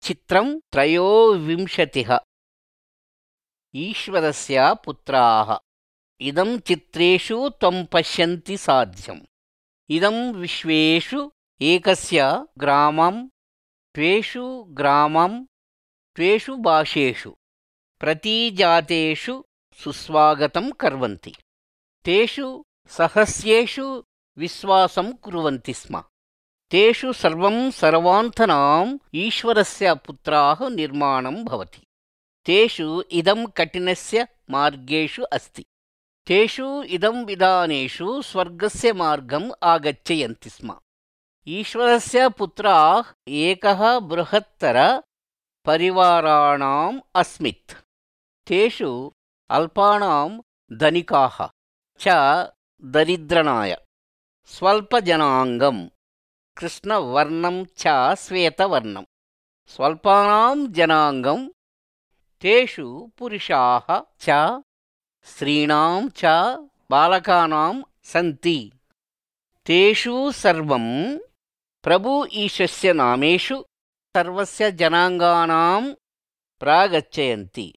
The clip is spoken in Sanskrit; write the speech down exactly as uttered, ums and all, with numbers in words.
चित्रं त्रयोविंशतिः ईश्वरस्य पुत्राः इदं चित्रेषु त्वं पश्यन्ति साध्यम् इदं विश्वेषु एकस्य ग्रामं त्वेषु ग्रामं त्वेषु भाषेषु प्रतिजातेषु सुस्वागतं कुर्वन्ति तेषु सहस्रेषु विश्वासं कुर्वन्ति स्म तेषु सर्वं सर्वान्तनाम् ईश्वरस्य पुत्राः निर्माणं भवति तेषु इदं कठिनस्य मार्गेषु अस्ति तेषु इदं विधानेषु स्वर्गस्य मार्गम् आगच्छन्ति स्म ईश्वरस्य पुत्राः एकः बृहत्तर परिवाराणाम् अस्मित् तेषु अल्पानां धनिकाः च दरिद्रनाय स्वल्पजनाङ्गं कृष्णवर्णं च श्वेतवर्णं स्वल्पानां जनाङ्गं तेषु पुरुषाः च स्त्रीणां च बालकानां सन्ति तेषु सर्वं प्रभु ईशस्य नामेषु सर्वस्य जनाङ्गानां प्रागच्छन्ति